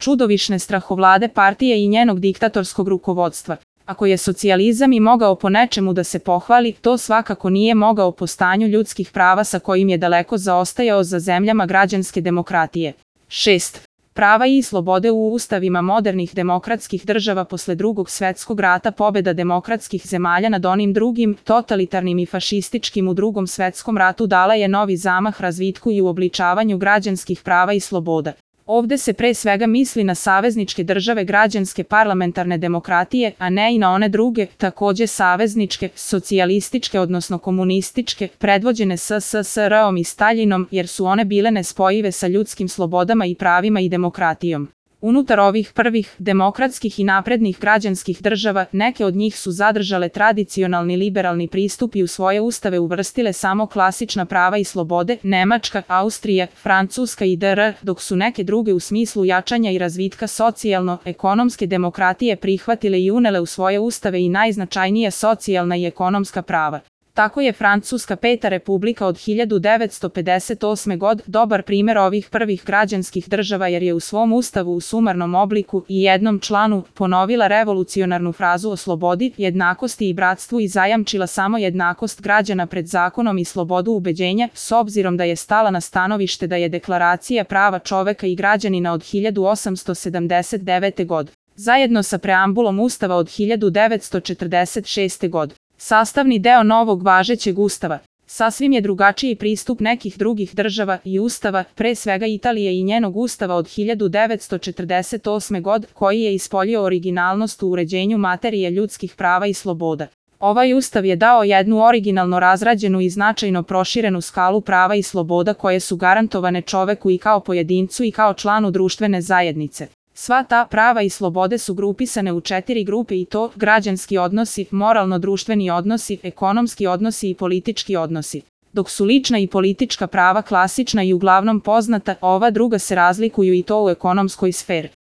čudovišne strahovlade partije i njenog diktatorskog rukovodstva. Ako je socijalizam i mogao po nečemu da se pohvali, to svakako nije mogao po stanju ljudskih prava sa kojim je daleko zaostajao za zemljama građanske demokratije. 6. Prava i slobode u ustavima modernih demokratskih država posle Drugog svetskog rata. Pobeda demokratskih zemalja nad onim drugim, totalitarnim i fašističkim u Drugom svetskom ratu dala je novi zamah razvitku i uobličavanju građanskih prava i sloboda. Ovde se pre svega misli na savezničke države građanske parlamentarne demokratije, a ne i na one druge, takođe savezničke, socijalističke odnosno komunističke, predvođene SSSR-om i Staljinom, jer su one bile nespojive sa ljudskim slobodama i pravima i demokratijom. Unutar ovih prvih, demokratskih i naprednih građanskih država, neke od njih su zadržale tradicionalni liberalni pristup i u svoje ustave uvrstile samo klasična prava i slobode, Nemačka, Austrija, Francuska i DR, dok su neke druge u smislu jačanja i razvitka socijalno-ekonomske demokratije prihvatile i unele u svoje ustave i najznačajnije socijalna i ekonomska prava. Tako je Francuska Peta republika od 1958. godine dobar primer ovih prvih građanskih država jer je u svom ustavu u sumarnom obliku i jednom članu ponovila revolucionarnu frazu o slobodi, jednakosti i bratstvu i zajamčila samo jednakost građana pred zakonom i slobodu ubeđenja, s obzirom da je stala na stanovište da je Deklaracija prava čoveka i građanina od 1879. godine, zajedno sa preambulom Ustava od 1946. godine. Sastavni deo novog važećeg ustava. Sasvim je drugačiji pristup nekih drugih država i ustava, pre svega Italije i njenog ustava od 1948. godine, koji je ispoljio originalnost u uređenju materije ljudskih prava i sloboda. Ovaj ustav je dao jednu originalno razrađenu i značajno proširenu skalu prava i sloboda koje su garantovane čoveku i kao pojedincu i kao članu društvene zajednice. Sva ta prava i slobode su grupisane u 4 grupe i to građanski odnosi, moralno-društveni odnosi, ekonomski odnosi i politički odnosi. Dok su lična i politička prava klasična i uglavnom poznata, ova druga se razlikuju i to u ekonomskoj sferi.